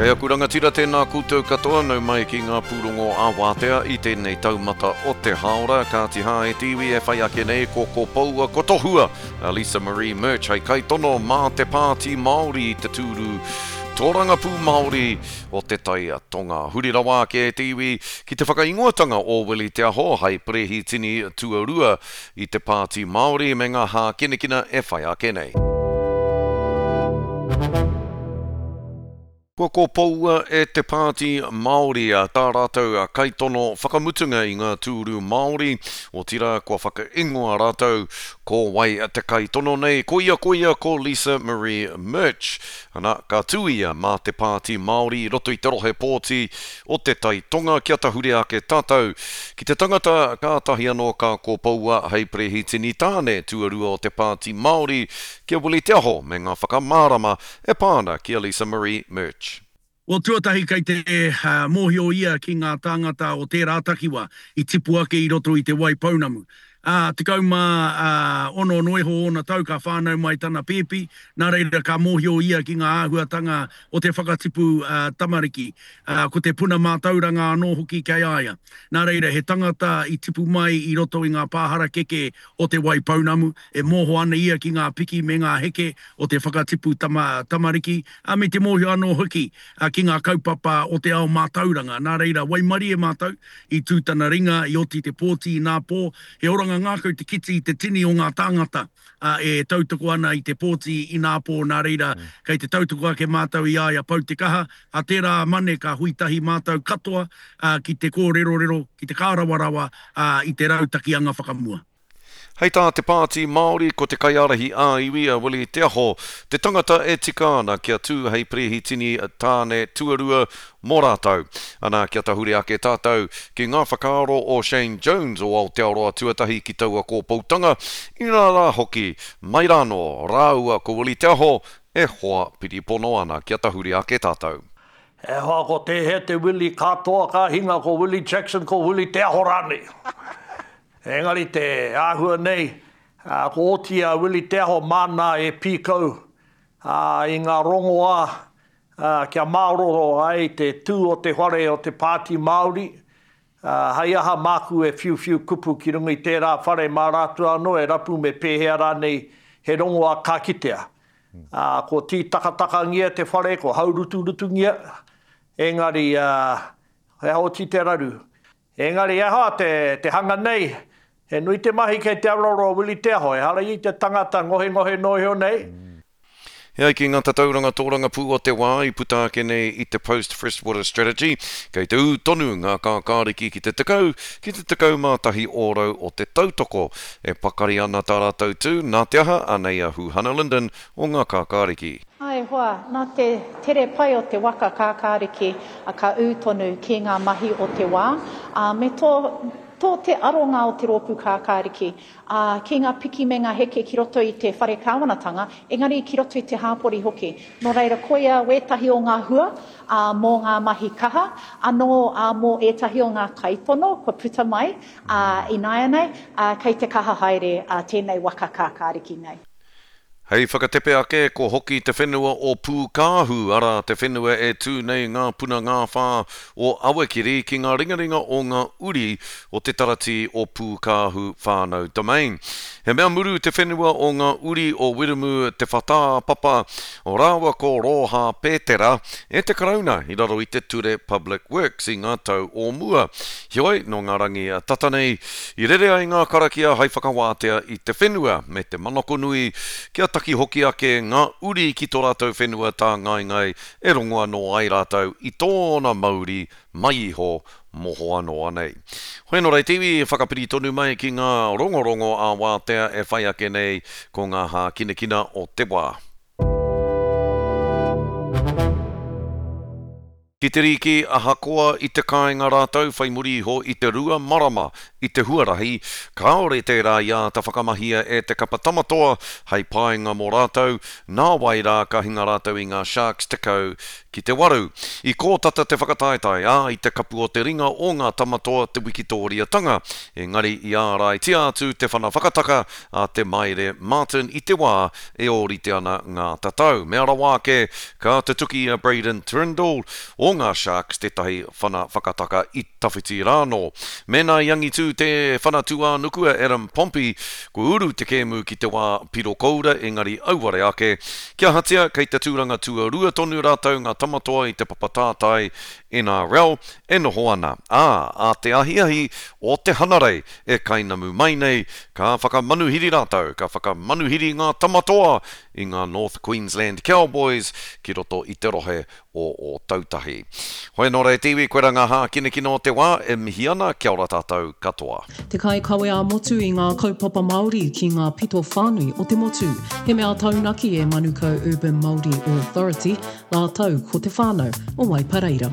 Kei aku rangatira tēnā koutou katoa, nau mai ki ngā pūrongo ā-wātea i tēnei taumata o te hāora. Kāti hā e te iwi e whai ake nei ko Kopoua ko Tohua a Lisa Marie Murch hei kaitono mā te Pāti Māori i te tūru tōrangapū Māori o Te Tai Tonga. Huri rawa ake e te iwi ki te whakaingoatanga o Willie Te Aho hei perehitini tuarua i te Pāti Māori me ngā hākinakina e whai ake nei. Kua kopoua e te Pāti Māori tā rātou kaitono whakamutunga i ngā tūru Māori, otirā kua whakaingoa rātou ko wai te kaitono nei, ko ia ko ia ko Lisa Marie Murch. Ana, ka tū ia mā te Pāti Māori i roto i te rohe pōti o Te Tai Tonga kia tahuri ake tātou ki te tangata kātahi anō ka kopoua hei perehitini tāne tuarua o te Pāti Māori ki a Willie Te Aho me ngā whakamārama e pā ana ki a Lisa Marie Murch. Well, tuatahi kei te mōhio ia ki ngā tāngata o tērā takiwa i tipu ake i roto i Te Wai Pounamu. Ā, 16 noa iho ōna tau ka whānau mai tana pēpi, nā reira ka mōhio ia ki ngā āhuatanga o te whakatipu tamariki. Ā, ko te puna mātauranga anō hoki kei a ia. Nā reira, he tangata i tipu mai i roto i ngā pā harakeke o Te Wai Pounamu, e mōho ana ia ki ngā piki me ngā heke o te whakatipu tama, tamariki, ā, me te mōhio anō hoki ki ngā kaupapa o te ao mātauranga. Nā reira, waimarie mātou i tū tana ringa, i oti te pōti inā pō, he oranga ngākau te kite i te tini o ngā tāngata e tautoko ana i te pōti inā pō, nā reira, kei te tautoko ake mātou i a ia pau te kaha, ā tērā Mane ka hui tahi mātou katoa ki te kōrerorero, ki te kārawarawa i te rautaki anga whakamua. Hei tā te Pāti Māori ko te kaiārahi ā-iwi a Willie Te Aho te tangata e tika ana kia tū hei perehitini tāne tuarua mō rātou. Ana kia tahuri ake tātou ki ngā whakaaro o Shane Jones o Aotearoa Tuatahi ki taua kōpoutanga, inā rā hoki, mai rānō rāua ko Willie Te Aho e hoa piripono ana kia tahuri ake tātou. E hoa ko tēhea te Willie katoa ka hinga ko Willie Jackson ko Willie Te Aho rānei. Engari te āhua nei, ko oti a Willie Te Aho māna e pīkau i ngā rongoā kia māroro ai te tū o te whare o te Pāti Māori, hei aha māku e whiuwhiu kupu ki runga i tērā whare mā rātou anō e rapu me pēhea rānei he rongoā ka kitea. Ko tītakatakangia te whare, ko hauruturutungia, engari he aha oti te raru. Engari aha te, te hanga nei, he nui te mahi kei te aroaro o Willie Te Aho, ehara ia i te tangata ngohengohe noa iho nei. E ai ki ngā tatauranga tōrangapū o te wā i puta ake nei i te Post Freshwater Strategy, kei te ū tonu ngā kākāriki ki te 10, ki te 11 ōrau o te tautoko. E pakari ana tā rātou tū, nā te aha, anei a Huhana Lyndon o ngā kākāriki. Ā, e hoa, nā te tere pai o te waka kākāriki ka ū tonu ki ngā mahi o te wā, ā, me tō, tō te aronga o te rōpū kākāriki, ā, ki ngā piki me ngā heke ki roto i te whare kāwanatanga, engari ki roto i te hāpori hoki. Nō reira, koia wētahi o ngā hua, ā, mō ngā mahi kaha, anō, ā, mō ētahi o ngā kaitono kua puta mai, ā, ināianei, ā, kei te kaha haere, ā, tēnei waka kākāriki nei. Hei whakatepe ake, ko hoki te whenua o Pūkāhu, arā, te whenua e tū nei ngā puna ngāwhā o Awakeri ki ngā ringaringa o ngā uri o te taratī o Pūkāhu Whānau Domain. He mea muru te whenua o ngā uri o Wiremu Te Whatāpapa rāua ko Rōhā Pētera e te Karauna i raro i te Ture Public Works i ngā tau o mua. Heoi, nō ngā rangi tata nei, i rere ai ngā karakia hai whakawātea i te whenua, me te manako nui kia taki hoki ake ngā uri ki tō rātou whenua tāngaengae e rongo anō ai rātou i tōna mauri mai iho mohoa noa nei. Hoi anō rei te iwi, whakapiri tonu mai ki ngā rongorongo ā-wātea e whai ake nei ko ngā hākinakina o te wā. Ki te rīki, ahakoa i te kāinga rātou whai muri iho i te rua marama. i te huarahi, kāore tērā i āta whakamahia e te kapa Tamatoa hei painga mō rātou, nāwai rā ka hinga rātou i ngā Sharks 10 ki te waru. I kōtata te whakataetae, ā, i te kapu o te ringa o ngā Tamatoa te wikitōriatanga, engari i āraitia atu te whana whakataka a Te Maire Martin i te wā e ōrite ana ngā tatau. Mea rawa ake, ka tutuki i a Braydon Trindall o ngā Sharks tētahi whana whakataka i tawhiti rānō. Mēnā i angitū te whana tūānuku a Adam Pompey, kua uru te kēmu ki te wā piro koura engari auare ake. Kia ahatia, kei te tūranga tuarua tonu rātou ngā tamatoa i te papa tātai NRL e noho ana. Ā, ā te ahiahi o te Hanarei e kainamu mai nei, ka whakamanuhiri rātou, ka whakamanuhiri ngā tamatoa i ngā North Queensland Cowboys ki roto i te rohe o Ōtautahi. Hoi anō rā e te iwi, koirā ngā hākinakina o te wā, e mihi ana, kia ora tātou katoa. Te kaikawe ā-motu i ngā kaupapa Māori ki ngā pito whānui o te motu. He mea taunaki e Manukau Urban Māori Authority rātou ko te whānau o Waipareira.